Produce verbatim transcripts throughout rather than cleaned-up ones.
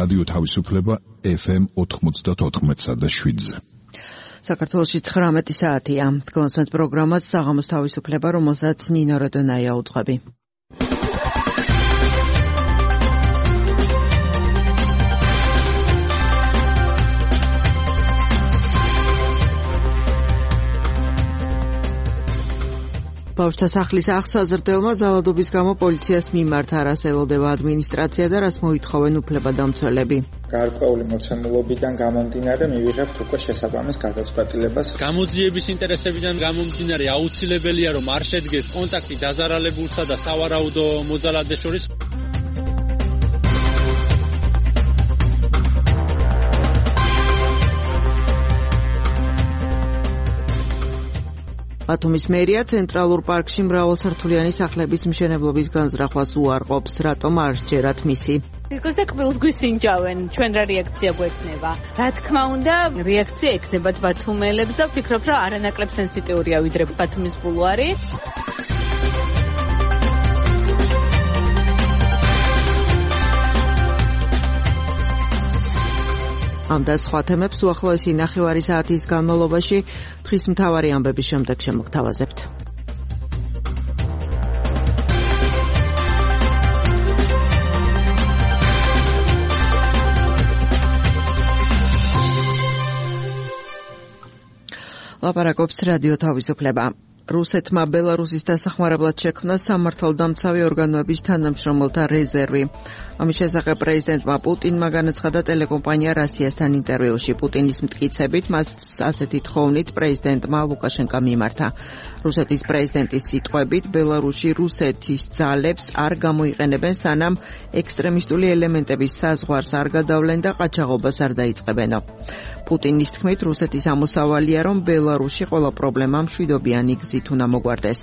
რადიო თავისუფლება ეფ ემ ოთხმოცდაოთხ და შვიდზე. საქართველოში ცხრამეტი საათია. თქვენს პროგრამას საღამოს თავისუფლება, რომელსაც ნინო როდონაია უძღვები. ბავშვთა სახლის აღსაზრდელმა ძალადობის გამო პოლიციას მიმართა, რას ელოდება ადმინისტრაცია და რას მოითხოვენ უფლებადამცველები. გარკვეული მოცემულობიდან გამომდინარე მივიღებთ უკვე შესაბამის გადაწყვეტილებას. გამოძიების ინტერესებიდან გამომდინარე აუცილებელია, რომ არ შედგეს კონტაქტი დაზარალებულსა და სავარაუდო მოძალადეს შორის. ბათუმის მერია ცენტრალურ პარკში მრავალსართულიანი სახლების მშენებლობის განზრახვას უარყოფს, რატომ არ სჯერათ მისი. რიგოზე კბილს გვისინჯავენ, ჩვენ რა რეაქცია გვექნება? რა თქმა უნდა, რეაქცია ექნებათ ბათუმელებს და ვფიქრობ, რომ არანაკლებ სენსიტიურია ვიდრე ბათუმის ბულვარი. ამ და სხვა თემებს უახლოესი ნახევარი საათის განმავლობაში დღის მთავარი ამბების შემდეგ შემოგთავაზებთ. ლაპარაკობს რადიო თავისუფლება. რუსეთმა ბელარუსის დასახმარებლად შექმნა სამართალდამცავი ორგანოების თანამშრომელთა რეზერვი. ამის შესახებ პრეზიდენტმა პუტინმა განაცხადა ტელეკომპანია რასიასთან ინტერვიუში. პუტინის მტკიცებით მას ასეთი თხოვნით პრეზიდენტმა ლუკაშენკა მიმართა. რუსეთის პრეზიდენტის სიტყვებით, ბელარუსში რუსეთის ძალებს არ გამოიყენებენ, სანამ ექსტრემისტული ელემენტების საზღვარს არ გადავლენ და ყაჩაღობას არ დაიწყებენო. პუტინის თქმით, რუსეთის ამოსავალია, რომ ბელარუსში ყველა პრობლემა მშვიდობიანი გზით უნდა მოგვარდეს.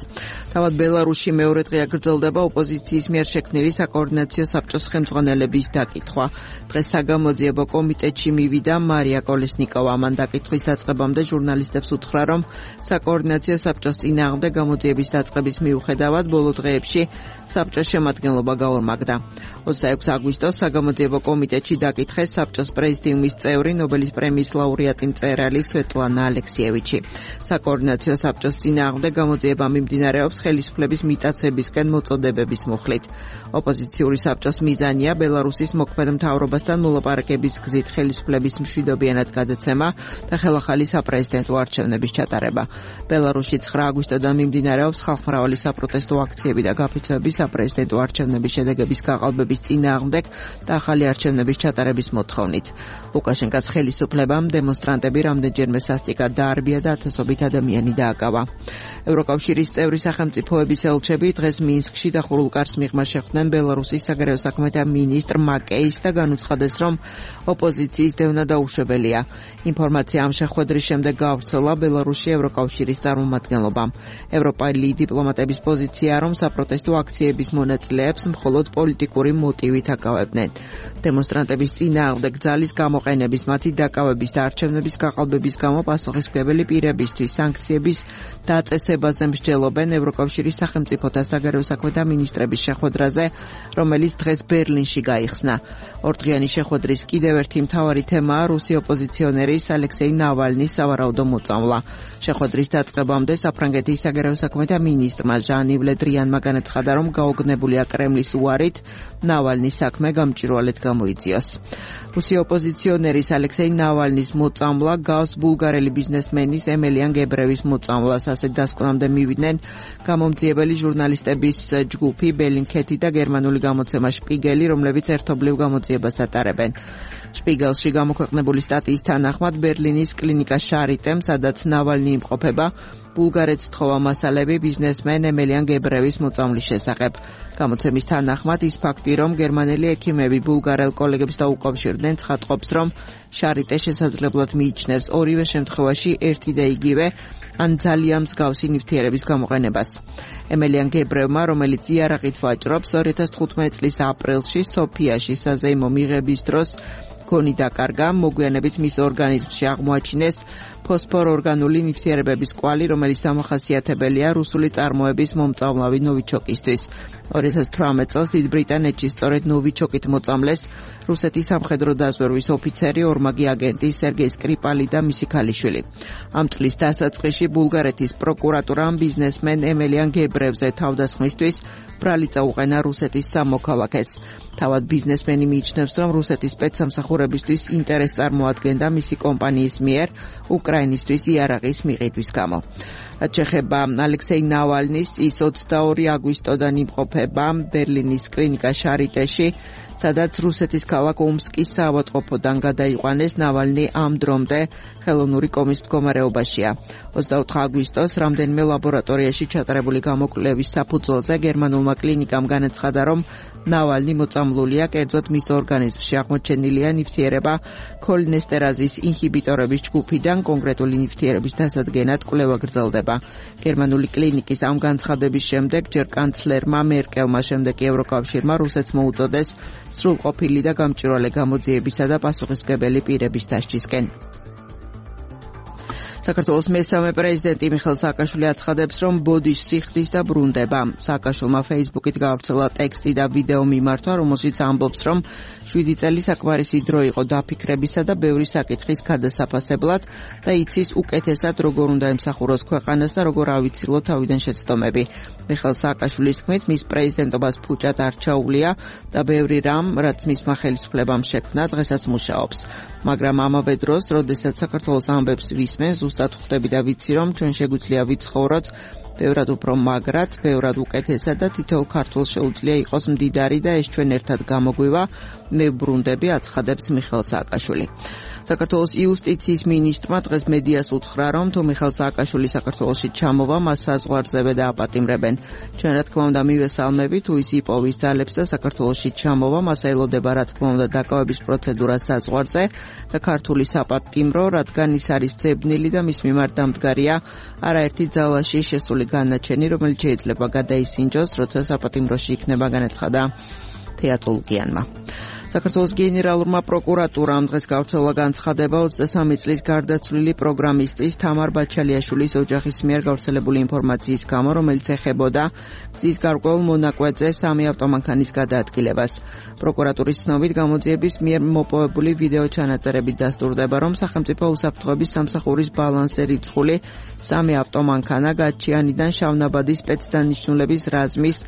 თავად ბელარუსში მეორე დღეა გრძელდება ოპოზიციის მიერ შექმნილი საკოორდინაციო საბჭოს ხელმძღვანელების დაკითხვა. დღეს საგამოძიებო კომიტეტში მივიდა მარია კოლესნიკოვა. მან დაკითხვის დაწყებამდე ჟურნალისტებს უთხრა, რომ საკოორდინაციო საბჭოს წინააღმდეგ გამოძიების დაწყების მიუხედავად ბოლო დღეებში საბჭოს შემადგენლობა გაორმაგდა. ოცდაექვსი აგვისტოს საგამოძიებო კომიტეტში დაკითხეს საბჭოს პრეზიდიუმის წევრი, ნობელის პრემიის ლაურეატი მწერალი სვეტლანა ალექსიევიჩი. საკოორდინაციო საბჭოს წინააღმდეგ გამოძიება მიმდინარეობს ხელისუფლების მიტაცებისკენ მოწოდებების მუხლით. ოპოზიციური საბჭოს მიზანია ბელარუსის მოქმედ მთავრობასთან მოლაპარაკების გზით ხელისუფლების მშვიდობიანად გადაცემა და ხელახალი საპრეზიდენტო არჩევნების ჩატარება. ბელარუსში ცხრა აგვისტოდან მიმდინარეობს ხალხმრავალი საპროტესტო აქციები და გაფიცვები საპრეზიდენტო არჩევნების შედეგების გაყალბების წინააღმდეგ და ახალი არჩევნების ჩატარების მოთხოვნით. ლუკაშენკას ხელისუფლებამ დემონსტრანტები რამდენჯერმე სასტიკად დაარბია და ათასობით ადამიანი დააკავა. ევროკავშირის წევრი სახელმწიფოების ელჩები დღეს მინსკში დახურულ კარს მიღმა შეხვდნენ ბელარუსის საგარეო საქმეთა მინისტრ მაკეის და განუცხადეს, რომ ოპოზიციის დევნა დაუშვებელია. ინფორმაცია ამ შეხვედრის შემდეგ გავრცელა ბელარუსში ევროკავშირის წარმომადგენლობამ. ევროპელი დიპლომატების პოზიცია, რომ საპროტესტო აქციების მონაწილეებს მხოლოდ პოლიტიკური მოტივით აკავებდნენ. დემონსტრანტების წინააღმდეგ ძალის გამოყენების, მათი დაკავების და არჩევნების გაყალბების გამო პასუხისმგებელი პირებისთვის სანქციების დაწესებაზე მსჯელობენ ევროკავშირის სახელმწიფოთა საგარეო საქმეთა მინისტრების შეხვედრაზე, რომელიც დღეს ბერლინში გაიხსნა. ორდღიანი შეხვედრის კიდევ ერთი მთავარი თემაა რუსი ოპოზიციონერის ალექსეი ნავალნის სავარაუდო მოწამვლა. შეხვედრის დაწყებამდე საფრანგეთის საგარეო საქმეთა მინისტრმა ჟან-ივ ლე დრიანმა განაცხადა, რომ გაოგნებულია კრემლის უარით ნავალნის საქმე გამჭვირვალედ გამოიწიოს. რუსი ოპოზიციონერის ალექსეი ნავალნის მოწამვლა გავს ბულგარელი ბიზნესმენის ემელიან გებრევის მოწამვლას. ასეთ დასკვნამდე მივიდნენ გამომძიებელი ჟურნალისტების ჯგუფი ბელინქეთი და გერმანული გამოცემა შპიგელი, რომლებიც ერთობლივ გამოძიებას ატარებენ. შპიგელში გამოქვეყნებული სტატიის თანახმად ბერლინის კლინიკა შარიტემ, სადაც ნავალნი იმყოფება, ბულგარეთს თხოვა მასალები ბიზნესმენ ემელიან გებრევის მოწამვლის შესახებ. გამოცემის თანახმად ის ფაქტი, რომ გერმანელი ექიმები ბულგარელ კოლეგებს დაუკავშირდნენ, ცხადყოფს, რომ შარიტე შესაძლებლად მიიჩნევს ორივე შემთხვევაში ერთი და იგივე ან ძალიან მსგავსი ნივთიერების გამოყენებას. ემელიან გებრევმა, რომელიც იარაღით ვაჭრობს, ორი ათას თხუთმეტი წლის აპრილში სოფიაში საზეიმო მიღების დროს გონი დაკარგა, მოგვიანებით მის ორგანიზმში აღმოაჩინეს ფოსფორორგანული ნივთიერებების კვალი, რომელიც რომელიც დამახასიათებელია რუსული წარმოების მომწამლავი ნოვიჩოკისთვის. ორი ათას თვრამეტ წელს დიდ ბრიტანეთში სწორედ ნოვიჩოკით მოწამლეს რუსეთის სამხედრო დაზვერვის ოფიცერი, ორმაგი აგენტი სერგეი სკრიპალი და მისი ქალიშვილი. ამ წლის დასაწყისში ბულგარეთის პროკურატურამ ბიზნესმენ ემელიან გებრევზე თავდასხმისთვის ბრალი წაუყენა რუსეთის სამოქალაქეს. თავად ბიზნესმენი მიიჩნევს, რომ რუსეთის სპეცსამსახურებისთვის ინტერესს წარმოადგენდა მისი კომპანიის მიერ უკრაინისთვის იარაღის მიყიდვის გამო. რაც შეეხება ალექსეი ნავალნის, ის ოცდაორი აგვისტოდან იმყოფება ბერლინის კლინიკა შარიტეში, სადაც რუსეთის ქალაქ ომსკის საავადმყოფოდან გადაიყვანეს. ნავალნი ამ დრომდე ხელოვნური კომის მდგომარეობაშია. ოცდაოთხი აგვისტოს რამდენიმე ლაბორატორიაში ჩატარებული გამოკვლევის საფუძველზე გერმანულმა კლინიკამ განაცხადა, რომ ნავალნი მოწამლულია, კერძოდ მის ორგანიზმში აღმოჩენილია ნივთიერება ქოლინესტერაზის ინჰიბიტორების ჯგუფიდან, კონკრეტული ნივთიერების დასადგენად კვლევა გრძელდება. გერმანული კლინიკის ამ განცხადების შემდეგ ჯერ კანცლერმა მერკელმა, შემდეგ კი ევროკავშირმა რუსეთს მოუწოდეს სრულყოფილი და გამჭვირვალე გამოძიებისა და პასუხისმგებელი პირების დასჯისკენ. საქართველოს მესამე პრეზიდენტი მიხეილ სააკაშვილი აცხადებს, რომ ბოდიშს სიხდის და ბრუნდება. სააკაშვილმა ფეისბუქით გავრცელა ტექსტი და ვიდეო მიმართვა, რომელშიც ამბობს, რომ შვიდი წელი საკმარისი დრო იყო დაფიქრებისა და ბევრი საკითხის გადასაფასებლად და იცის უკეთესად როგორ უნდა ემსახუროს ქვეყანას და როგორ ავიცილო თავიდან შეცდომები. მიხეილ სააკაშვილის თქმით, მის პრეზიდენტობას ფუჭად არ ჩაუვლია და ბევრი რამ, რაც მისმა ხელისუფლებამ შექმნა, დღესაც მუშაობს. მაგრამ ამავე დროს, როდესაც საქართველოს ამბებს ვისმენ, ზუსტად ხვდები და ვიცი, რომ ჩვენ შეგვიძლია ვიცხოვროთ ბევრად უფრო მაგრად, ბევრად უკეთესად და თითოეულ ქართველს შეუძლია იყოს მდიდარი და ეს ჩვენ ერთად გამოგვივა. მე ვბრუნდები, აცხადებს მიხეილ სააკაშვილი. საქართველოს იუსტიციის მინისტრმა დღეს მედიას უთხრა, რომ თუ მიხეილ სააკაშვილი საქართველოში ჩამოვა, მას საზღვარზე დააპატიმრებენ. ჩვენ რა თქმა უნდა მივესალმებით, თუ ის იპოვის ძალებს და საქართველოში ჩამოვა, მას ელოდება რა თქმა უნდა დაკავების პროცედურა საზღვარზე და ქართული საპატიმრო, რადგან ის არის ძებნილი და მის მიმართ დამდგარია არაერთი ძალაში შესული განაჩენი, რომელიც შეიძლება გადაისინჯოს, როცა საპატიმროში იქნება, განაცხადა თეატოლოგიანმა. საქართველოს გენერალურმა პროკურატურამ დღეს გავრცელა განცხადება ოცდასამი წლის გარდაცვლილი პროგრამისტის თამარ ბაჩალიაშვილის ოჯახის მიერ გავრცელებული ინფორმაციის გამო, რომელიც ეხებოდა გზის გარკვეულ მონაკვეთზე სამი ავტომანქანის გადაადგილებას. პროკურატურის ცნობით გამოძიების მიერ მოპოვებული ვიდეო ჩანაწერებით დასტურდება, რომ სახელმწიფო უსაფრთხოების სამსახურის ბალანსზე რიცხული სამი ავტომანქანა გაჩიანიდან შავნაბადის სპეცდანიშნულების რაზმის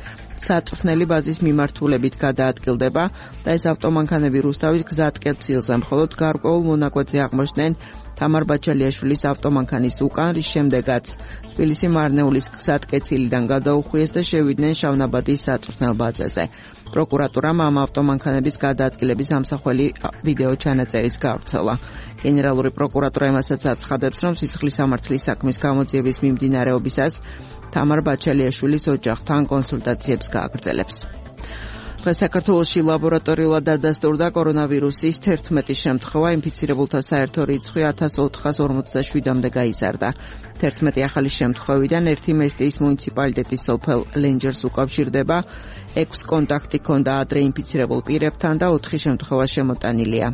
საწვრთნელი ბაზის მიმართულებით გადაადგილდება და ეს ავტომანქანები რუსთავის გზატკეცილზე, მხოლოდ გარკვეულ მონაკვეთზე აღმოჩნდნენ თამარ ბაჩალიაშვილის ავტომანქანის უკან, რის შემდეგაც თბილისი მარნეულის გზატკეცილიდან გადაუხვიეს და შევიდნენ შავნაბადის საწვრთნელ ბაზაზე. პროკურატურამ ამ ავტომანქანების გადაადგილების ამსახველი ვიდეო ჩანაწერიც გავრცელა. გენერალური პროკურატურა იმასაც აცხადებს, რომ სისხლის სამართლის საქმის გამოძიების მიმდინარეობისას თამარ ბაჩალიაშვილის ოჯახთან კონსულტაციებს გააგრძელებს. დღეს საქართველოში ლაბორატორიულად დადასტურდა კორონავირუსის თერთმეტი შემთხვევა, ინფიცირებულთა საერთო რიცხვი ათას ოთხას ორმოცდაშვიდამდე გაიზარდა. თერთმეტი ახალი შემთხვევიდან ერთი მესტიის მუნიციპალიტეტის სოფელ ლენჯერს უკავშირდება, ექვს კონტაქტი ჰქონდა ადრე ინფიცირებულ პირებთან და ოთხი შემთხვევა შემოტანილია.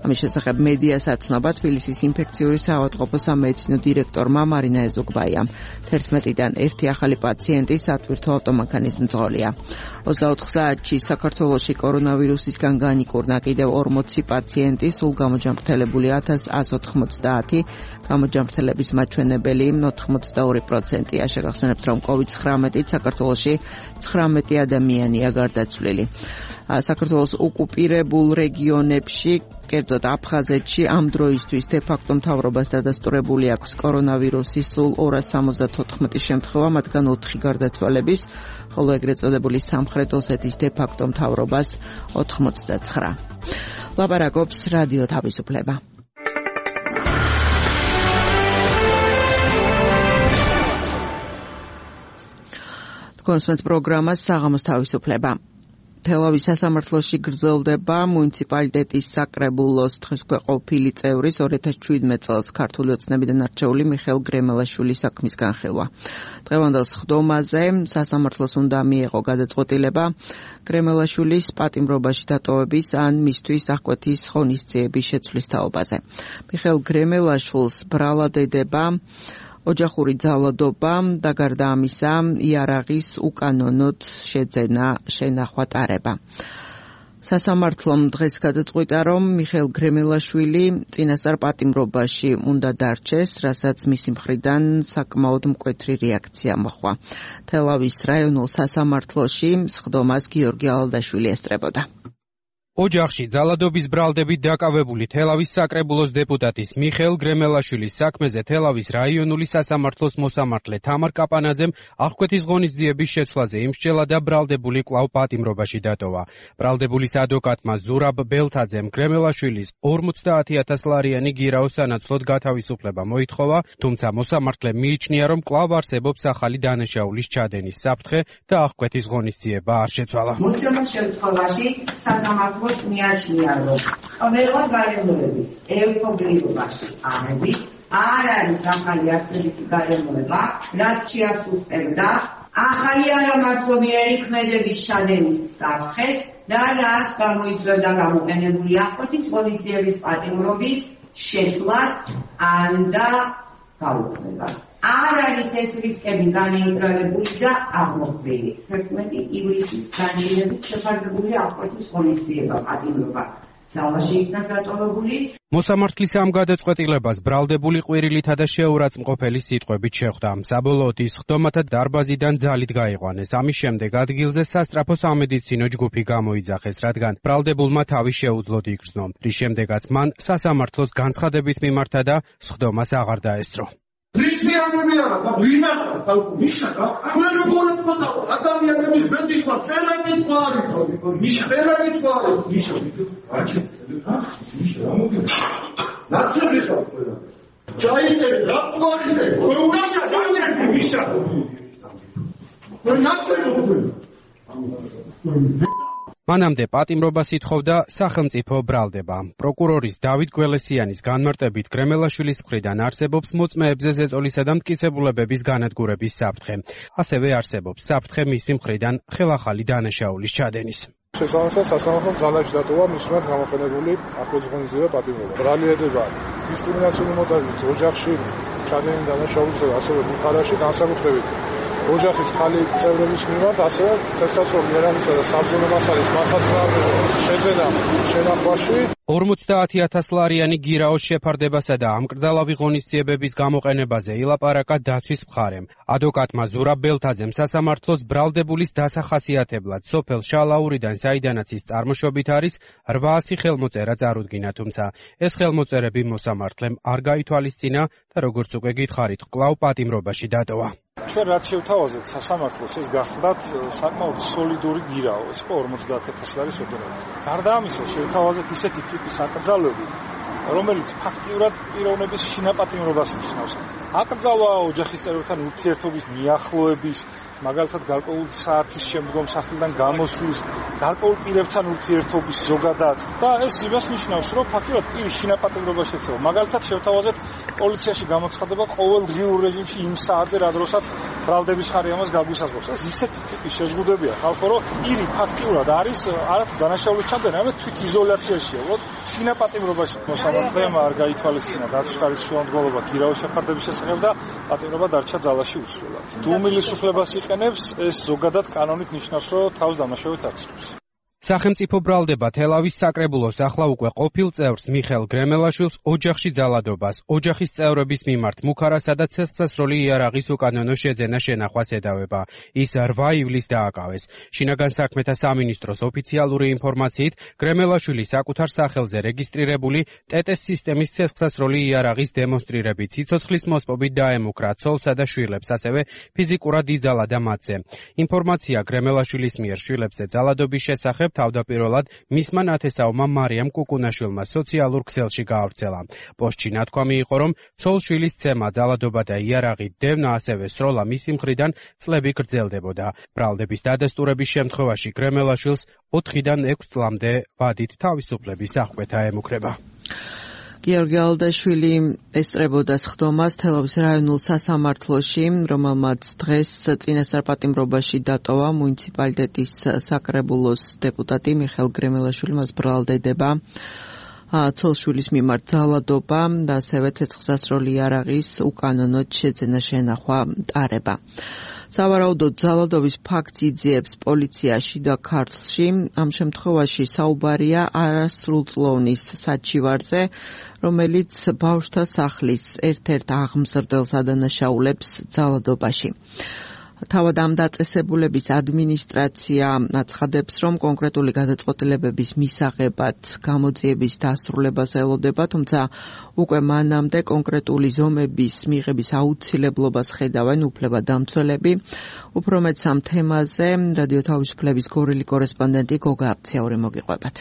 ამის შესახებ მედიას აცნობა თბილისის ინფექციური საავადმყოფო სამედიცინო დირექტორმა მარინა ეზოგბაიამ. თერთმეტიდან ერთი ახალი პაციენტი სატვირთო ავტომანქანის მძღოლია. ოცდაოთხ საათში საქართველოში კორონავირუსისგან განიკურნა კიდევ ორმოცი პაციენტი, სულ გამოჯანმრთელებული ათას ათს ოთხმოცდაათი, გამოჯანმრთელების მაჩვენებელი ოთხმოცდაორი პროცენტია. შეგახსენებთ, რომ კოვიდ ცხრამეტით საქართველოში ცხრამეტი ადამიანია გარდაცვლილი. საქართველოს ოკუპირებულ რეგიონებში, კერძოდ აფხაზეთში ამ დროისთვის დე-ფაქტო მთავრობას დადასტურებული აქვს კორონავირუსის სულ ორას სამოცდათოთხმეტი შემთხვევა, მათგან ოთხი გარდაცვალების, ხოლო ეგრეთ წოდებული სამხრეთ ოსეთის დე-ფაქტო მთავრობას ოთხმოცდაცხრა. ლაპარაკობს რადიო თავისუფლება. კონსულტ პროგრამა საღამოს თავისუფლება. თელავის სასამართლოში გრძელდება მუნიციპალიტეტის საკრებულოს დღეს უკვე ყოფილი წევრის ორი ათას შვიდმეტ წელს ქართული ოცნებიდან არჩეული მიხეილ გრემელაშვილის საქმის განხილვა. დღევანდელ სხდომაზე სასამართლოს უნდა მიეღო გადაწყვეტილება გრემელაშვილის პატიმრობაში დატოვების ან მისთვის აღკვეთის ღონისძიების შეცვლის თაობაზე. მიხეილ გრემელაშვილს ბრალად ედება ოჯახური ძალადობა და გარდა ამისა იარაღის უკანონოდ შეძენა შენახვა ტარება. სასამართლომ დღეს გადაწყვიტა, რომ მიხეილ გრემელაშვილი წინასწარ პატიმრობაში უნდა დარჩეს, რასაც მისი მხრიდან საკმაოდ მკვეთრი რეაქცია მოჰყვა. თელავის რაიონულ სასამართლოში სხდომას გიორგი ალადაშვილი ესწრებოდა. ოჯახში ძალადობის ბრალდებით დაკავებული თელავის საკრებულოს დეპუტატის მიხეილ გრემელაშვილის საქმეზე თელავის რაიონული სასამართლოს მოსამართლე თამარ კაპანაძემ აღკვეთის ღონისძიების შეცვლაზე იმსჯელა და ბრალდებული კვლავ პატიმრობაში დატოვა. ბრალდებულის ადვოკატმა ზურაბ ბელთაძემ გრემელაშვილის ორმოცდაათი ათას ლარიანი გირაო სანაცვლოდ გათავისუფლება მოითხოვა, თუმცა მოსამართლემ მიიჩნია, რომ კვლავ არსებობს ახალი დანაშაულის ჩადენის საფრთხე და აღკვეთის ღონისძიება არ შეცვალა. მოცემულ შემთხვევაში სასამართლო მიაჩნია, რომ ყველა გარემოების ევთობლიობაში აღებით არ არის ახალი არსებითი გარემოება, რაც შეასუსტებდა ახალი არამართლობიერი ქმედების ჩადენის საფრთხეს და რაც გამოიწვევდა გამოყენებული აღკვეთის ღონისძიების პატიმრობის შეცვლას ან და გაუქმებას. არ არის ეს რისკები განეიტრალებული და აღმოხდილი. თერთმეტი ივლისის განჯილებით შეფარდებული აღკვეთის ღონისძიება პატიმრობა ძალაში იქნა დატოვებული. მოსამართლის ამ გადაწყვეტილებას ბრალდებული ყვირილითა და შეურაცხმყოფელი სიტყვებით შეხვდა. საბოლოოდ ის სხდომათა დარბაზიდან ძალით გაიყვანეს. ამის შემდეგ ადგილზე სასწრაფო სამედიცინო ჯგუფი გამოიძახეს, რადგან ბრალდებულმა თავი შეუძლოდ იგრძნო, რის შემდეგაც მან სასამართლოს განცხადებით მიმართა და სხდომას აღარ დაესწრო. რისმიანებია და ვინახავ ხალხო მიშაკა ჩვენ როგორ ვთქვა ადამიანების ბედიხმა წერები თვარიც მიშა წერები თვარიც მიშა აჩი მიშა რა მოგე ნაცები ხარ ყველა ჩაიწერ რა თვარიზე უნდა შეჭერდი მიშა მე ნაცები ვქო მანამდე პატიმრობას ითხოვდა სახელმწიფო ბრალდება. პროკურორის დავით გველესიანის განმარტებით გრემელაშვილის მხრიდან არსებობს მოწმეებზე ზეწოლისა და მტკიცებულებების განადგურების საფრთხე. ასევე არსებობს საფრთხე მისი მხრიდან ხელახალი დანაშაულის ჩადენის. შესაბამისად სასამართლომ ძალაში დატოვა მის მიმართ გამოყენებული აღკვეთის ღონისძიება პატიმრობა. ბრალიერდება დისკრიმინაციული მოტივით ოჯახში ჩადენილი დანაშაულის და ასევე ბულგარიაში განსაკუთრებით ოჯახის ხალი წევრების მიმართ, ასევე ცეცხლსასროლი ერამისა და საბრძოლო მასალის მართლმსაჯულების შეძენა შენახვაში ორმოცდაათი ათას ლარიანი გირაოს შეფარდებასა და ამკრძალავი ღონისძიებების გამოყენებაზე ილაპარაკა დაცვის მხარემ. ადვოკატმა ზურაბ ბელთაძემ სასამართლოს ბრალდებულის დასახასიათებლად სოფელ შალაურიდან, საიდანაც ის წარმოშობით არის, რვაასი ხელმოწერა წარუდგინა, თუმცა ეს ხელმოწერები მოსამართლემ არ გაითვალისწინა და როგორც უკვე გითხარით, კვლავ პატიმრობაში დატოვა. ჩვენ რაც შევთავაზეთ სასამართლოს, ეს გახლდათ საკმაოდ სოლიდური გირაო, ეს იყო ორმოცდაათი ათას ლარის ოდენობით. გარდა ამისა, შევთავაზეთ ისეთი ტიპის აკრძალვები, რომელიც ფაქტიურად პიროვნების შინაპატიმრობას ნიშნავს. აკრძალვა ოჯახის წევრებთან ურთიერთობის მიახლოების, მაგალითად გარკვეულ საათის შემდგომ სახლიდან გამოსვლის, გარკვეულ პირებთან ურთიერთობის ზოგადად და ეს იმას ნიშნავს, რომ ფაქტიურად პირის შინაპატიმრობა შექცევა. მაგალითად შევთავაზეთ პოლიციაში გამოცხადება ყოველდღიურ რეჟიმში იმ საათზე, რა დროსაც ბრალდების ხარი ამას გაგვისაზღვრავს. ეს ისეთი ტიპის შეზღუდებია ხალხო, რომ პირი ფაქტიურად არის არათუ დანაშაულის ჩადენა, არამედ თვით იზოლაციაშია. უბრალოდ შინაპატიმრობაში მოსამართლემ არ გაითვალისწინა დაცვის ხარის შუამდგომლობა გირაოს შეფარდების შესახებ და პატიმრობა დარჩა ძალაში უცვლელად. თუ უმილისუფლებას იყენებს, ეს ზოგადად კანონით ნიშნავს, რომ თავს დამნაშავედ აცრუს. სახელმწიფო ბრალდება თელავის საკრებულოს ახლა უკვე ყოფილ წევრს მიხეილ გრემელაშვილს ოჯახში ძალადობას, ოჯახის წევრების მიმართ მუქარასა და ცეცხლსასროლი იარაღის უკანონო შეძენა შენახვას ედავება. ის რვა ივლისს დააკავეს. შინაგან საქმეთა სამინისტროს ოფიციალური ინფორმაციით, გრემელაშვილი საკუთარ სახელზე რეგისტრირებული ტეტეს სისტემის ცეცხლსასროლი იარაღის დემონსტრირებით სიცოცხლის მოსპობით დაემუქრა ცოლსა და შვილებს, ასევე ფიზიკურად იძალა და მათზე. ინფორმაცია გრემელაშვილის მიერ შვილებზე ძალადობის შესახებ თავდაპირველად მისმა ნათესაურმა მარიამ კუკუნაშვილმა სოციალურ ქსელში გაავრცელა. პოსტში ნათქვამი იყო, რომ ცოლ-შვილის ცემა, ძალადობა და იარაღი დევნა, ასევე სროლა მისი მხრიდან წლები გრძელდებოდა. ბრალდების დადასტურების შემთხვევაში გრემელაშვილს ოთხიდან ექვს წლამდე ვადით თავისუფლების აღკვეთა ემუქრება. გიორგი ალადაშვილი ესწრებოდა სხდომას თელავის რაიონულ სასამართლოში, რომელმაც დღეს წინასწარ პატიმრობაში დატოვა მუნიციპალიტეტის საკრებულოს დეპუტატი მიხეილ გრემელაშვილი, მას ბრალდება ცოლშვილის მიმართ ძალადობა და ასევე ცეცხლსასროლი იარაღის უკანონოდ შეძენა შენახვა ტარება. სავარაუდოდ ძალადობის ფაქტს იძიებს პოლიციაში და ქართლში. ამ შემთხვევაში საუბარია არასრულწლოვნის საჩივარზე, რომელიც ბავშვთა სახლის ერთ-ერთ აღმზრდელს ადანაშაულებს ძალადობაში. თავად ამ დაწესებულების ადმინისტრაცია აცხადებს, რომ კონკრეტული გადაწყვეტილებების მისაღებად გამოძიების დასრულებას ელოდება, თუმცა უკვე მანამდე კონკრეტული ზომების მიღების აუცილებლობას ხედავენ უფლებადამცველები. უფრო მეტს ამ თემაზე რადიო თავისუფლების გორილი კორესპონდენტი გოგა აფციური მოგიყვებათ.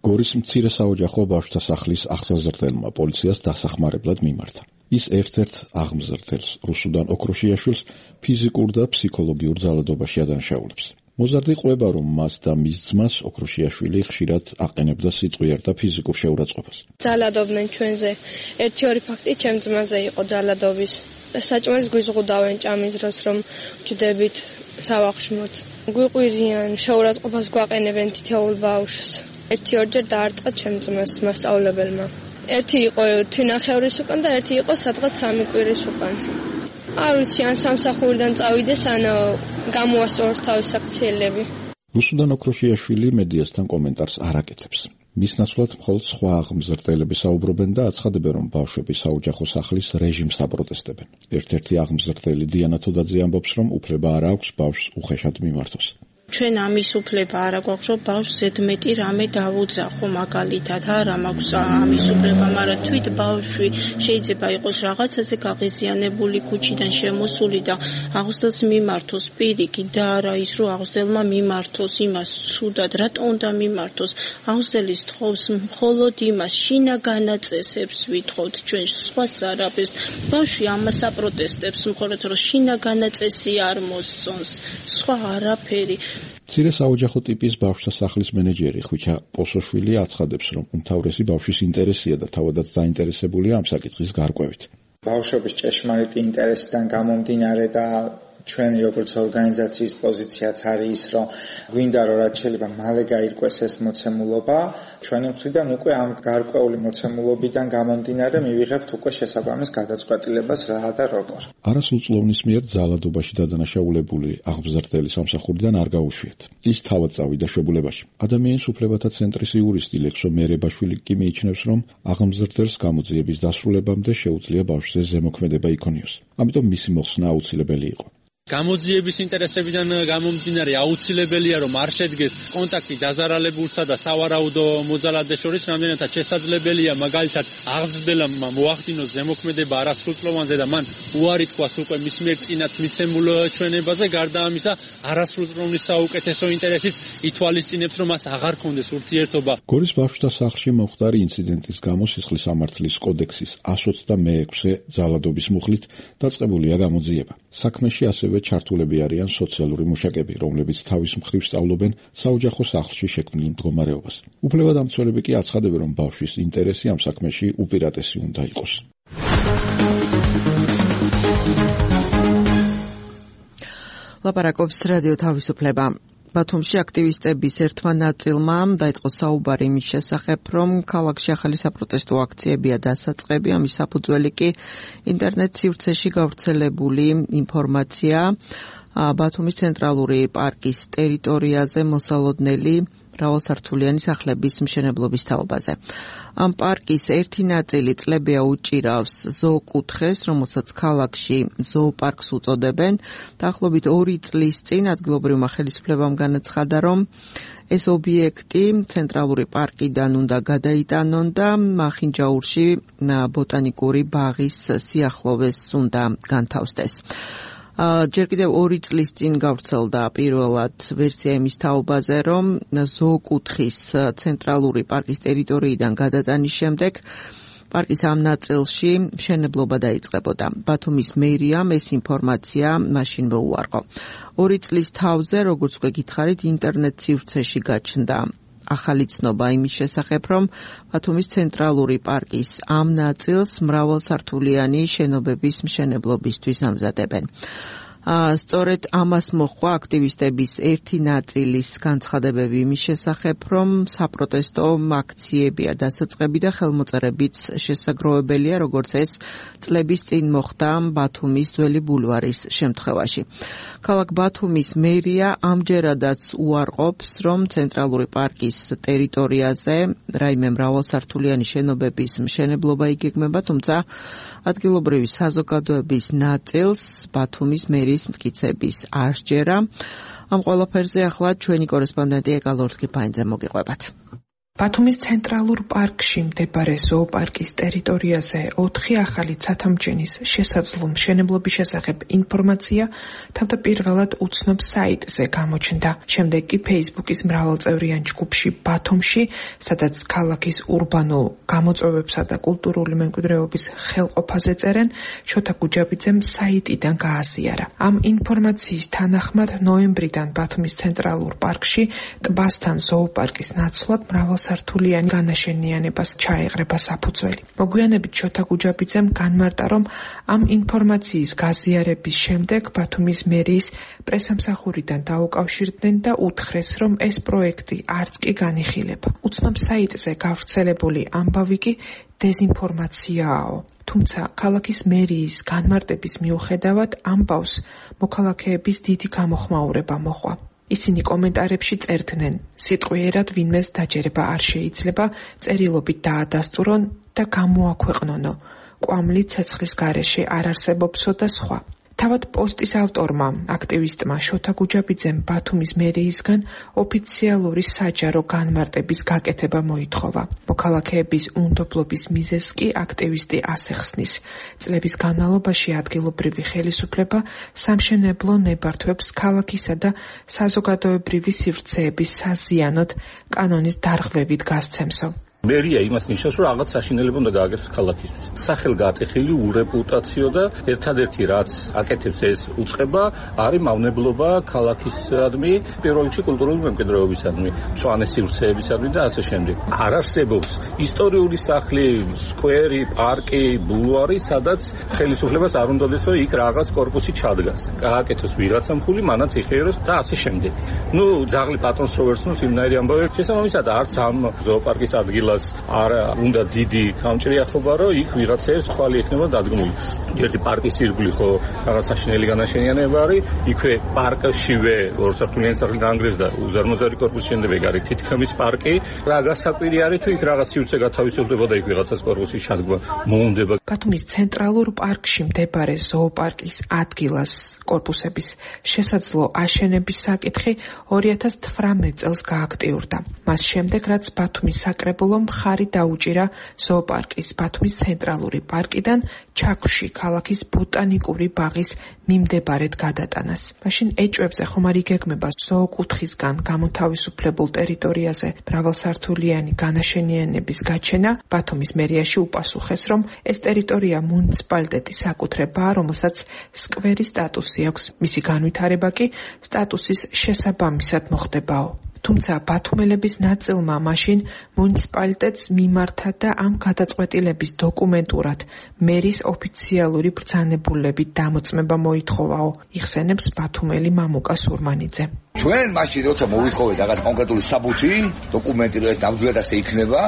გორის მცირე საოჯახო ბავშვთა სახლის აღსაზრდელმა პოლიციას დასახმარებლად მიმართა. ის ერთ-ერთ აღმზრდელს, რუსუდან ოქროშიაშვილს, ფიზიკურ და ფსიქოლოგიურ ძალადობაში ადანაშაულებს. მოზარდი ყვება, რომ მას და მის ძმას ოქროშიაშვილი ხშირად აყენებდა სიტყვიერ და ფიზიკურ შეურაცხყოფას. ძალადობდნენ ჩვენზე. ერთი ორი ფაქტი ჩემ ძმაზე იყო ძალადობის. საჭმელს გვიზღუდავენ ჭამის დროს, რომ ვჯდებით სავახშმოთ. გვიყვირიან, შეურაცხყოფას გვაყენებენ თითოეულ ბავშვს. ერთი ორჯერ დაარტყა ჩემ ძმას მასწავლებელმა. ერთი იყო თვინახევრის უკან და ერთი იყო სადღაც სამი კვირის უკან. არ ვიცი, ან სამსახურიდან წავიდეს, ან გამოასწოროს თავის აქციელები. რუსუდან ოქროშიაშვილი მედიასთან კომენტარს არ აკეთებს. მის ნაცვლად მხოლოდ სხვა აღმზრდელები საუბრობენ და აცხადებენ, რომ ბავშვები საოჯახო სახლის რეჟიმს აპროტესტებენ. ერთ-ერთი აღმზრდელი დიანა თოდაძე ამბობს, რომ უფლება არ აქვს ბავშვს უხეშად მიმართოს. ჩვენ ამის უფლება არ აქვს, რომ ბავშვს ზედმეტი რამე დავუძახო, მაგალითად, არა მაქვს ამის უფლება, მაგრამ თვით ბავშვი შეიძლება იყოს რაღაცაზე გაღიზიანებული, ქუჩიდან შემოსული და აღზრდელს მიმართოს პირიქით და არა ის, რომ აღზრდელმა მიმართოს იმას ცუდად, რატო უნდა მიმართოს? აღზრდელის თხოვს მხოლოდ იმას, შინაგანაწესებს ვითხოვთ ჩვენ სხვას არაფერს. ბავშვი ამას აპროტესტებს, მხოლოდ რომ შინაგანაწესი არ მოსწონს, სხვა არაფერი. მცირე საოჯახო ტიპის ბავშვთა სახლის მენეჯერი ხვიჩა პოსოშვილი აცხადებს, რომ უმთავრესი ბავშვის ინტერესია და თავადაც დაინტერესებულია ამ საკითხის გარკვევით. ბავშვების ჭეშმარიტი ინტერესიდან გამომდინარე და ჩვენი როგორც ორგანიზაციის პოზიციაც არის ის, რომ გვინდა რომ რაც შეიძლება მალე გაირკვეს ეს მოცემულობა, ჩვენი მხრიდან უკვე ამ გარკვეული მოცემულობიდან გამომდინარე მივიღებთ უკვე შესაბამის გადაწყვეტილებას რა და როგორ. არასრულწლოვნის მიერ ძალადობაში დადანაშაულებული აღმზრდელი სამსახურიდან არ გაუშვიათ. ის თავად წავიდა შვებულებაში. ადამიანის უფლებათა ცენტრის იურისტი ლექსო მერებაშვილი კი მიიჩნევს, რომ აღმზრდელს გამოძიების დასრულებამდე შეუძლია ბავშვზე ზემოქმედება იქონიოს. ამიტომ მისი მოხსნა აუცილებელი იყო. გამოძიების ინტერესებიდან გამომდინარე აუცილებელია რომ არ შედგეს კონტაქტი დაზარალებულსა და სავარაუდო მოძალადეს შორის, რამდენადაც შესაძლებელია მაგალითად აღზრდელამ მოახდინოს ზემოქმედება არასრულწლოვანზე და მან უარი თქვას უკვე მის მიერ წინათ მიცემულ ჩვენებაზე. გარდა ამისა, არასრულწლოვნის საუკეთესო ინტერესიც ითვალისწინებს, რომ მას აღარ ქონდეს ურთიერთობა. გორის ბავშვთა სახლში მომხდარი ინციდენტის გამო სისხლის სამართლის კოდექსის εκατს ოცდამეექვსე ძალადობის მუხლით დაწყებულია გამოძიება. საქმეში ასევე ჩართულები არიან სოციალური მუშაკები, რომლებიც თავის მხრივ სწავლობენ საოჯახო სახლში შექმნილ მდგომარეობას. უფლებადამცველები კი აცხადებენ, რომ ბავშვის ინტერესი ამ საქმეში უპირატესი უნდა იყოს. ლაპარაკობს რადიო თავისუფლება. ბათუმში აქტივისტების ერთმა ნაწილმა დაიწყო საუბარი იმის შესახებ, რომ ქალაქში ახალი საპროტესტო აქციებია დასაწყები, ამის საფუძველი კი ინტერნეტ სივრცეში გავრცელებული ინფორმაცია ბათუმის ცენტრალური პარკის ტერიტორიაზე მოსალოდნელი მრავალსართულიანი სახლების მშენებლობის თაობაზე. ამ პარკის ერთი ნაწილი წლებია უჭირავს ზოოკუთხეს, რომელსაც ქალაქში ზოოპარკს უწოდებენ. დაახლოებით ორი წლის წინ ადგილობრივმა ხელისუფლებამ განაცხადა, რომ ეს ობიექტი ცენტრალური პარკიდან უნდა გადაიტანონ და მახინჯაურში ბოტანიკური ბაღის სიახლოვეს უნდა განთავსდეს. ჯერ კიდევ ორი წლის წინ გავრცელდა პირველად ვერსია იმის თაობაზე, რომ ზოოკუთხის ცენტრალური პარკის ტერიტორიიდან გადატანის შემდეგ პარკის ამ ნაწილში მშენებლობა დაიწყებოდა. ბათუმის მერიამ ეს ინფორმაცია მაშინ მოუარყო. ორი წლის თავზე, როგორც უკვე გითხარით, ინტერნეტ სივრცეში გაჩნდა ახალი ცნობა იმის შესახებ, რომ ბათუმის ცენტრალური პარკის ამ ნაწილს მრავალსართულიანი შენობების მშენებლობისთვის ამზადებენ. სწორედ ამას მოჰყვა აქტივისტების ერთი ნაწილის განცხადებები იმის შესახებ, რომ საპროტესტო აქციებია დასაწყები და ხელმოწერებიც შესაძლოებელია, როგორც ეს წლების წინ მოხდა ბათუმის ძველი ბულვარის შემთხვევაში. ქალაქ ბათუმის მერია ამჯერადაც უარყოფს, რომ ცენტრალური პარკის ტერიტორიაზე რაიმე მრავალსართულიანი შენობების მშენებლობა იგეგმება, თუმცა ადგილობრივი საზოგადოების ნაწილს ბათუმის მერიის მტკიცების არ სჯერა. ამ ყველაფერზე ახლა ჩვენი კორესპონდენტი ეკა ლორთქიფაინძე მოგიყვებათ. ბათუმის ცენტრალურ პარკში მდებარე ზოოპარკის ტერიტორიაზე ოთხი ახალი ცათამბჯენის შესაძლო მშენებლობის შესახებ ინფორმაცია თავდაპირველად უცნობ საიტზე გამოჩნდა. შემდეგ კი Facebook-ის მრავალწევრიან ჯგუფში ბათუმში, სადაც ქალაქის ურბანულ გამოწვევებსა და კულტურული მემკვიდრეობის ხელყოფაზე წერენ, შოთა გუჯაბიძემ საიტიდან გააზიარა. ამ ინფორმაციის თანახმად ნოემბრიდან ბათუმის ცენტრალურ პარკში ტბასთან ზოოპარკის ნაცვლად მრავალ სართულიანი განაშენიანებას ჩაეღრება საფუძველი. მოგვიანებით შოთა გუჯაბიძემ განმარტა, რომ ამ ინფორმაციის გაზიარების შემდეგ ბათუმის მერიის პრესამსახურიდან დაუკავშირდნენ და უთხრეს, რომ ეს პროექტი არც კი განიხილება. უცნობ საიტზე გავრცელებული ამბავი კი დეზინფორმაციაა. თუმცა ქალაქის მერიის განმარტების მიუხედავად ამბავს მოქალაქეების დიდი გამოხმაურება მოჰყვა. ისინი კომენტარებში წერდნენ, სიტყვიერად ვინმეს დაჯერება არ შეიძლება, წერილობით დაადასტურონ და გამოაქვეყნონო. კვამლი ცეცხლის გარეშე არ არსებობსო და სხვა. თავად პოსტის ავტორმა, აქტივისტმა შოთა გუჯაბიძემ ბათუმის მერიისგან ოფიციალური საჯარო განმარტების გაკეთება მოითხოვა. მოქალაქეების უნდობლობის მიზეზს კი აქტივისტი ასე ხსნის. წლების განმავლობაში ადგილობრივი ხელისუფლება სამშენებლო ნებართვებს ქალაქისა და საზოგადოებრივი სივრცეების საზიანოდ კანონის დარღვევით გასცემსო. მერია იმას ნიშნავს, რომ რაღაც საშინელება უნდა გააკეთოს ქალაქისთვის. სახელგატეხილი ურეპუტაციო და ერთადერთი რაც აკეთებს ეს უწყება, არის მავნებლობა ქალაქისადმი, პირველ რიგში კულტურული მემკვიდრეობისადმი, მწვანე სივრცეებისადმი და ასე შემდეგ. არ არსებობს ისტორიული სახლი, სკვერი, პარკი, ბულვარი, სადაც ხელისუფლებას არ უნდადეს, რომ იქ რაღაც კორპუსი ჩადგას. გააკეთოს ვიღაცა მხული, მანაც იხიეროს და ასე შემდეგ. ნუ ძაღლი პატრონს რო ვერსნოს იმნაირი ამბავი. შესაბამისად, არც ამ ზოოპარკის ადგილას არ უნდა დიდი გამჭრიახობა, რომ იქ ვიღაცებს თვალი ექნება დადგმული. ერთი პარკის ირგვლივ ხო რაღაც საშინელი განაშენიანება არის, იქვე პარკშივე ორსართულიანი სახლი დაანგრიეს და უზარმაზარი კორპუსი შენდება, ეგ არის თითქმის პარკი. რა გასაკვირი არის, თუ იქ რაღაც სივრცე გათავისუფლდება და იქ ვიღაცას კორპუსის ჩადგმა მოუნდება. ბათუმის ცენტრალურ პარკში მდებარე ზოოპარკის ადგილას კორპუსების შესაძლო აშენების საკითხი ორი ათას თვრამეტ წელს გააქტიურდა. მას შემდეგ, რაც ბათუმის საკრებულო მხარი დაუჭირა ზოოპარკის ბათუმის ცენტრალური პარკიდან ჩაქვში ქალაქის ბოტანიკური ბაღის მიმდებარედ გადატანას. მაშინ ეჭვებზე ხომ არ იგეგმება ზოოკუთხისგან გამოთავისუფლებულ ტერიტორიაზე მრავალსართულიანი განაშენიანების გაჩენა. ბათუმის მერიაში უპასუხეს, რომ ეს ტერიტორია მუნიციპალიტეტის საკუთრებაა, რომელსაც სკვერის სტატუსი აქვს. მისი განვითარება კი სტატუსის შესაბამისად მოხდებაო. თუმცა ბათუმელების ნაწილმა მაშინ მუნიციპალიტეტს მიმართა და ამ გადაწყვეტილების დოკუმენტურად მერის ოფიციალური ბრძანებულებით დამოწმება მოითხოვაო, იხსენებს ბათუმელი მამუკა სურმანიძე. ჩვენ მაშინ როცა მოვითხოვეთ რაღაც კონკრეტული საბუთი, დოკუმენტი რომ ეს ნამდვილად ასე იქნება,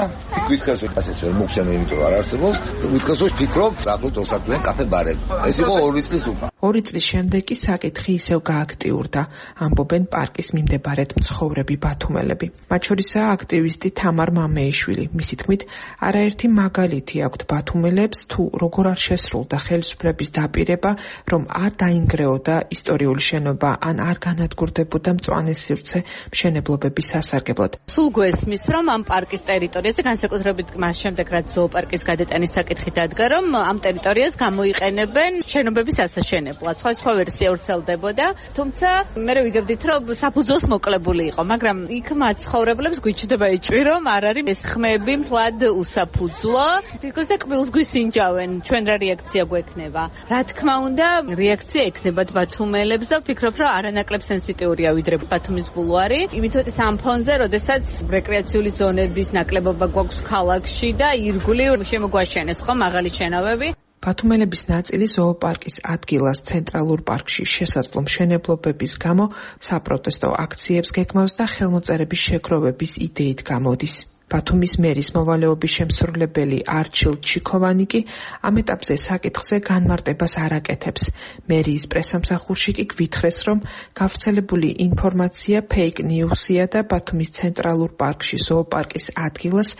ვიქნეს რომ ასეც ვერ მოგხსენე, იმიტომ რომ არ არსებობს, ვიქნეს რომ ფიქრობ, ახლოთ ორსართულიანი კაფე ბარები. ეს იყო ორი წლის უკან. ორი წლის შემდეგ კი საკითხი ისევ გააქტიურდა, ამბობენ პარკის მიმდებარედ მცხოვრები ბათუმელები. მათ შორისაა აქტივისტი თამარ მამეიშვილი. მისი თქმით, არაერთი მაგალითი აქვთ ბათუმელებს, თუ როგორ არ შესრულდა ხელისუფლების დაპირება, რომ არ დაინგრეოდა ისტორიული შენობა, ან არ განადგურდებოდა მწვანე სივრცე მშენებლობების სასარგებლოდ. სულ გვესმის, რომ ამ პარკის ტერიტორიაზე, განსაკუთრებით მას შემდეგ, რაც ზოოპარკის გადატანის საკითხი დადგა, რომ ამ ტერიტორიას გამოიყენებენ შენობების ასაშენებლად. სხვა ვერსია ვრცელდებოდა, თუმცა მე ვიგებდით, რომ საფუძველს მოკლებული იყო, მაგრამ იქ მაცხოვრებლებს გვიჩნდება ეჭვი, რომ არ არის ეს ხმები მთლად უსაფუძვლო. თითქოს და კბილს გვისინჯავენ, ჩვენ რა რეაქცია გვექნება. რა თქმა უნდა, რეაქცია ექნებათ ბათუმელებს და ვფიქრობ, რომ არანაკლებ სენსიტიურია ვიდრე ბათუმის ბულვარი. იმიტომ ის ამ ფონზე, როდესაც რეკრეაციული ზონების ნაკლებობა გვაქვს ქალაქში და ირგვლივ შემოგვაშენეს ხო მაღალი შენობები. ბათუმელების ნაწილი ზოოპარკის ადგილას ცენტრალურ პარკში შესაძლო მშენებლობების გამო საპროტესტო აქციებს გეგმავს და ხელმოწერების შეგროვების იდეით გამოდის. ბათუმის მერის მოვალეობის შემსრულებელი არჩილ ჩიქოვანი კი ამ ეტაპზე საკითხზე განმარტებას არ აკეთებს. მერიის პრესამსახურში კი გვითხრეს, რომ გავრცელებული ინფორმაცია ფეიქ ნიუსია და ბათუმის ცენტრალურ პარკში ზოოპარკის ადგილას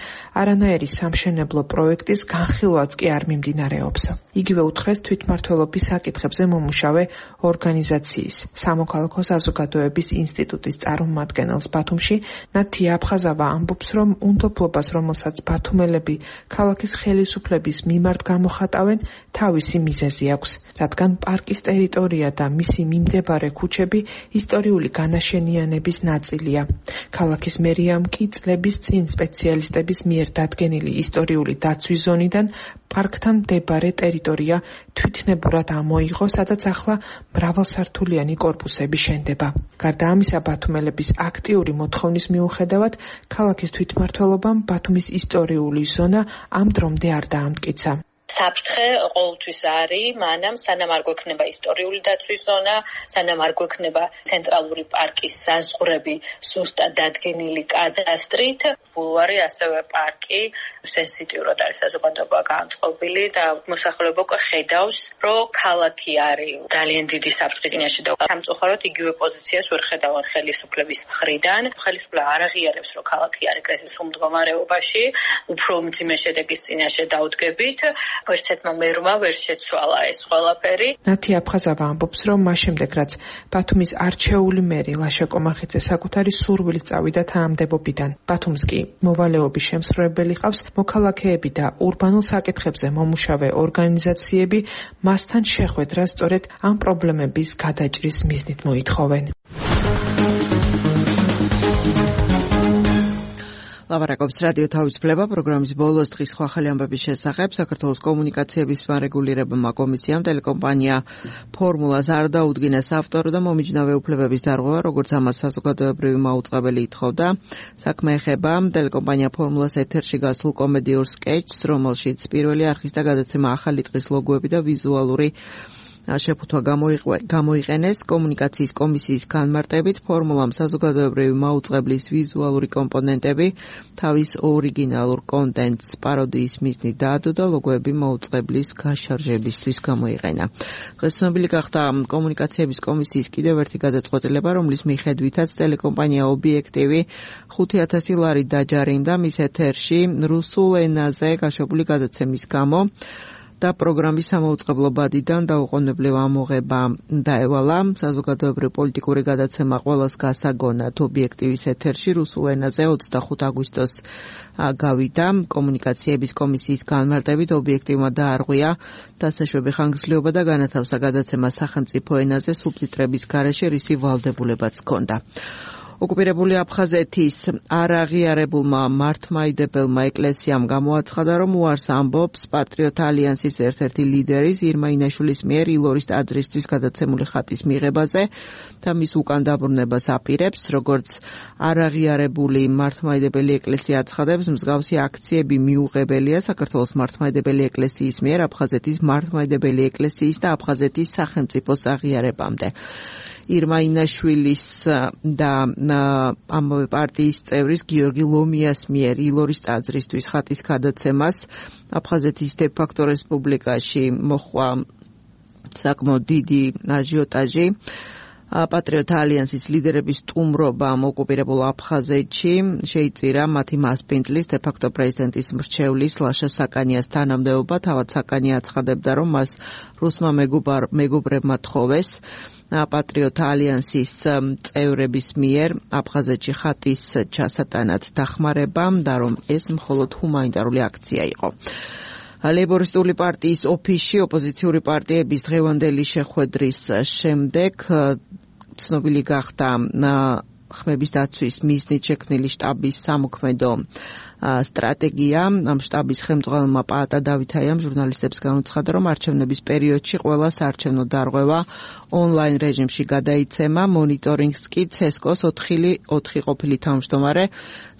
არანაირი სამშენებლო პროექტის განხილვაც კი არ მიმდინარეობს. იგივე უთხრეს თვითმმართველობის საკითხებზე მომუშავე ორგანიზაციის სამოქალაქო საზოგადოების ინსტიტუტის წარმომადგენელს ბათუმში ნათია აფხაზავა ამბობს, რომ უნდობლობას, რომელსაც ბათუმელები ქალაქის ხელისუფლების მიმართ გამოხატავენ, თავისი მიზეზი აქვს, რადგან პარკის ტერიტორია და მისი მიმდებარე ქუჩები ისტორიული განაშენიანების ნაწილია. ქალაქის მერიამ კი წლების წინ სპეციალისტების მიერ დადგენილი ისტორიული დაცვის ზონიდან პარკთან მდებარე ტერიტორია თვითნებურად ამოიღო, სადაც ახლა მრავალსართულიანი კორპუსები შენდება. გარდა ამისა, ბათუმელების აქტიური მოთხოვნის მიუხედავად, ქალაქის თვითმმართველობამ ბათუმის ისტორიული ზონა ამ დრომდე არ დაამტკიცა. საფრთხე ყოველთვის არის, მანამ სანამ არ გვექნება ისტორიული დაცვის ზონა, სანამ არ გვექნება ცენტრალური პარკის საზღვრები სუსტად დადგენილი კადასტრით, ბულვარი ასევე პარკი სენსიტიურად არის საზოგადოება განწყობილი და მოსახლეობა უკვე ხედავს, რომ ქალაქი არის ძალიან დიდი საფრთხის წინაშე და სამწუხაროდ იგივე პოზიციას ვერ ხედავენ ხელისუფლების მხრიდან. ხელისუფლება არ აღიარებს, რომ ქალაქი არის კრიზისულ მდგომარეობაში, უფრო მძიმე შედეგის წინაშე დაუდგებით. ვერცერთმა მერმა ვერ შეცვალა ეს ყველაფერი. ნათია აფხაზავა ამბობს, რომ მას შემდეგ, რაც ბათუმის არჩეული მერი ლაშა კომახიძე საკუთარი სურვილით წავიდა თანამდებობიდან, ბათუმს კი მოვალეობის შემსრულებელი ყავს, მოქალაქეები და ურბანულ საკითხებზე მომუშავე ორგანიზაციები მასთან შეხვედრას სწორედ ამ პრობლემების გადაჭრის მიზნით მოითხოვენ. ლაპარაკობს რადიო თავისუფლება პროგრამის ბოლოს დღის სხვა ახალი ამბების შესახებ. საქართველოს კომუნიკაციების მარეგულირებელმა კომისიამ ტელეკომპანია ფორმულას არ დაუდგინეს ავტორო და მომიჯნავე უფლებების დარღვევა, როგორც ამას საზოგადოებრივი მაუწყებელი ითხოვდა. საქმე ეხება ტელეკომპანია ფორმულას ეთერში გასულ კომედიურ სკეჩს, რომელშიც პირველი არხის და გადაცემა ახალი ტყის ლოგოები და ვიზუალური შეფუთვა გამოიყენეს. კომუნიკაციის კომისიის განმარტებით ფორმულამ საზოგადოებრივი მაუწყებლის ვიზუალური კომპონენტები თავის ორიგინალურ კონტენტს პაროდიის მიზნით დაადო და ლოგოები მაუწყებლის გაშარჟებისთვის გამოიყენა. დღეს ცნობილი გახდა კომუნიკაციების კომისიის კიდევ ერთი გადაწყვეტილება, რომლის მიხედვითაც ტელეკომპანია ობიექტივი ხუთი ათასი ლარი დაჯარიმდა მის ეთერში რუსულ ენაზე გაშვებული გადაცემის გამო და პროგრამის სამაუწყებლო ბადიდან დაუყოვნებლივ ამოღება დაევალა. საზოგადოებრივი პოლიტიკური გადაცემა ყველას გასაგონად ობიექტივის ეთერში რუსულ ენაზე ოცდახუთი აგვისტოს გავიდა. კომუნიკაციების კომისიის განმარტებით ობიექტივმა დაარღვია დასაშვები ხანგრძლივობა და განათავსა გადაცემა სახელმწიფო ენაზე სუბტიტრების გარეშე, რისი ვალდებულებაც ჰქონდა. ოკუპირებული აფხაზეთის არაღიარებულმა მართლმადიდებელმა ეკლესიამ გამოაცხადა, რომ უარს ამბობს პატრიოტ ალიანსის ერთ-ერთი ლიდერის ირმა ინაშვილის მიერ ილორის ტაძრისთვის გადაცემული ხატის მიღებაზე და მის უკან დაბრუნებას აპირებს. როგორც არაღიარებული მართლმადიდებელი ეკლესია აცხადებს, მსგავსი აქციები მიუღებელია საქართველოს მართლმადიდებელი ეკლესიის მიერ აფხაზეთის მართლმადიდებელი ეკლესიის და აფხაზეთის სახელმწიფოს აღიარებამდე. ირმა ინაშვილის და ამავე პარტიის წევრის გიორგი ლომიას მიერ ილორის ტაძრისთვის ხატის გადაცემას აფხაზეთის დე-ფაქტო რესპუბლიკაში მოჰყვა საკმაოდ დიდი აჟიოტაჟი. პატრიოტ ალიანსის ლიდერების სტუმრობამ ოკუპირებულ აფხაზეთში შეიწირა მათი მასპინძლის დე-ფაქტო პრეზიდენტის მრჩევლის ლაშა საკანიას თანამდებობა. თავად საკანია აცხადებდა, რომ მას რუსმა მეგობრებმა თხოვეს პატრიოტ ალიანსის წევრების მიერ აფხაზეთში ხატის ჩასატანად დახმარებამ და რომ ეს მხოლოდ ჰუმანიტარული აქცია იყო. ლეიბორისტული პარტიის ოფისში ოპოზიციური პარტიების დღევანდელი შეხვედრის შემდეგ ცნობილი გახდა ხმების დაცვის მიზნით შექმნილი შტაბის სამოქმედო სტრატეგია. ამ შტაბის ხელმძღვანელმა პაატა დავითაიამ ჟურნალისტებს განაცხადა, რომ არჩევნების პერიოდში ყველა საარჩევნო დარღვევა ონლაინ რეჟიმში გადაიცემა. მონიტორინგს კი ცესკოს ოთხი ყოფილი თავმჯდომარე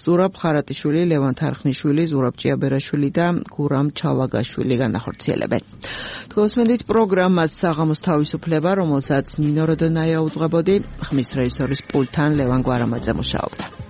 ზურაბ ხარატიშვილი, ლევან თარხნიშვილი, ზურაბ ჭიაბერაშვილი და გურამ ჩალაგაშვილი განახორციელებენ. თქვენსმენდით პროგრამას საღამოს თავისუფლება, რომელსაც ნინო როდონაია უძღვებოდი, ხმის რეჟისორის პულტთან ლევან გვარამაძე მუშაობდა.